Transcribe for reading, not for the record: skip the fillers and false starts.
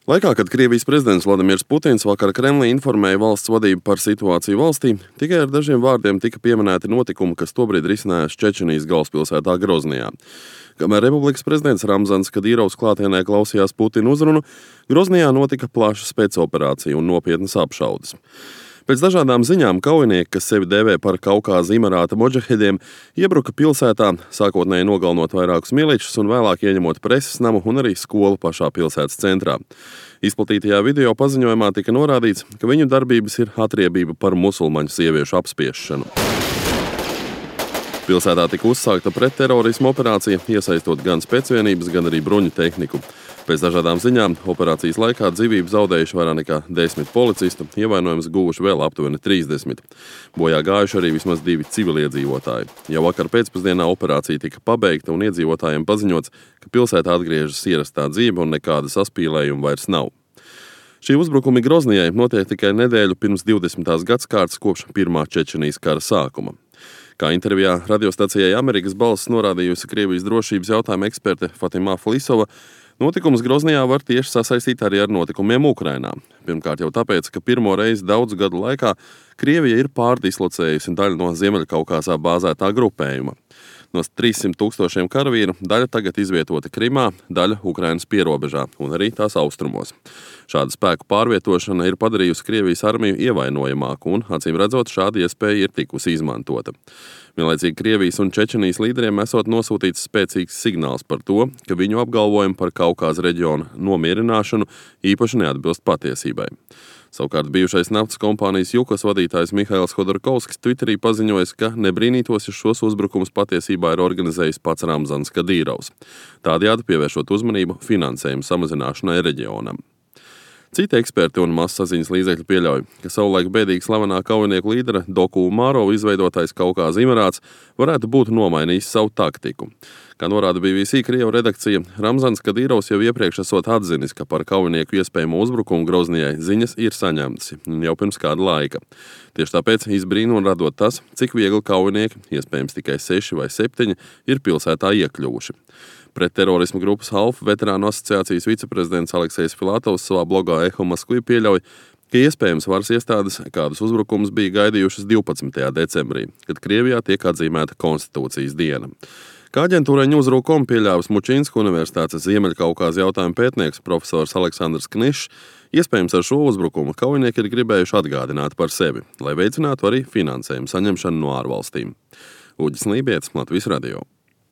Laikā, kad Krievijas prezidents Vladimirs Putins vakar Kremlī informēja valsts vadību par situāciju valstī, tikai ar dažiem vārdiem tika pieminēti notikumi, kas tobrīd risinājās Čečenijas galvaspilsētā Groznijā. Kamēr republikas prezidents Ramzans Kadīrovs klātienē klausījās Putina uzrunu, Groznijā notika plaša spēcoperācija un nopietnas apšaudes. Pēc dažādām ziņām kaujinieki, kas sevi dēvē par Kaukāza Imarāta modžahediem, iebruka pilsētā, sākotnēji nogalinot vairākus miličus un vēlāk ieņemot preses namu un arī skolu pašā pilsētas centrā. Izplatītajā video paziņojumā tika norādīts, ka viņu darbības ir atriebība par musulmaņu sieviešu apspiešanu. Pilsētā tika uzsākta pretterorisma operācija, iesaistot gan spēcvienības, gan arī bruņu tehniku. Pēc dažādām ziņām operācijas laikā dzīvību zaudējuši vairāk nekā 10 policistu, ievainojumus guvuši vēl aptuveni 30. Bojā gājuši arī vismaz 2 civiliedzīvotāji. Jau vakar pēcpusdienā operācija tika pabeigta un iedzīvotājiem paziņots, ka pilsētā atgriežas ierastā dzīve un nekāda saspīlējuma vairs nav. Šī uzbrukumi Groznijai notiek tikai nedēļu pirms 20. gadskārtas kopš pirmā Čečenijas kara sākuma. Kā intervijā radiostacijai Amerikas balss norādījusi Krievijas drošības jautājuma eksperte Fatima Flisova, notikums Groznijā var tieši sasaistīt arī ar notikumiem Ukrainā. Pirmkārt jau tāpēc, ka pirmo reizi daudzu gadu laikā Krievija ir pārdislocējusi daļu no Ziemeļkaukāzā bāzētā grupējuma. No 300 000 karavīru daļa tagad izvietota Krimā, daļa Ukrainas pierobežā un arī tās austrumos. Šāda spēku pārvietošana ir padarījusi Krievijas armiju ievainojamāku un, acīm redzot, šāda iespēja ir tikusi izmantota. Vienlaicīgi Krievijas un Čečenijas līderiem esot nosūtīts spēcīgs signāls par to, ka viņu apgalvojumi par Kaukāza reģiona nomierināšanu īpaši neatbilst patiesībai. Savukārt bijušais naftas kompānijas Jukos vadītājs Mihails Hodorkovskis Twitterī paziņojis, ka nebrīnītos, ja šos uzbrukumus patiesībā ir organizējis pats Ramzans Kadīrovs, tādējādi pievēršot uzmanību finansējumu samazināšanai reģionam. Citi eksperti un masasaziņas līdzekļi pieļauj, ka savulaik bēdīgi slavenā kaujinieku līdera Doku Umārova izveidotais Kaukāza Imarāts varētu būt nomainījis savu taktiku. Kā norāda BBC Krievu redakcija, Ramzans Kadīrovs jau iepriekš esot atzinis, ka par kaujinieku iespējamo uzbrukumu Groznijai ziņas ir saņemtas jau pirms kāda laika. Tieši tāpēc izbrīnu un radot tas, cik viegli kaujinieki, iespējams tikai 6 vai 7, ir pilsētā iekļuvuši. Pretterorisma grupas Half veterānu asociācijas viceprezidents Aleksejs Filatovs savā blogā Eho Moskvi pieļauj, ka iespējams varas iestādes kādus uzbrukumus bija gaidījušas 12. decembrī, kad Krievijā tiek atzīmēta konstitūcijas diena. Kā aģentūrai News.ru.com pieļāvis Mučinsku universitātes Ziemeļkaukāza jautājumu pētnieks profesors Aleksandrs Knišs, iespējams ar šo uzbrukumu kaujinieki ir gribējuši atgādināt par sevi, lai veicinātu arī finansējumu saņemšanu no ārvalstīm. Uģis Lībietis, Latvijas radio.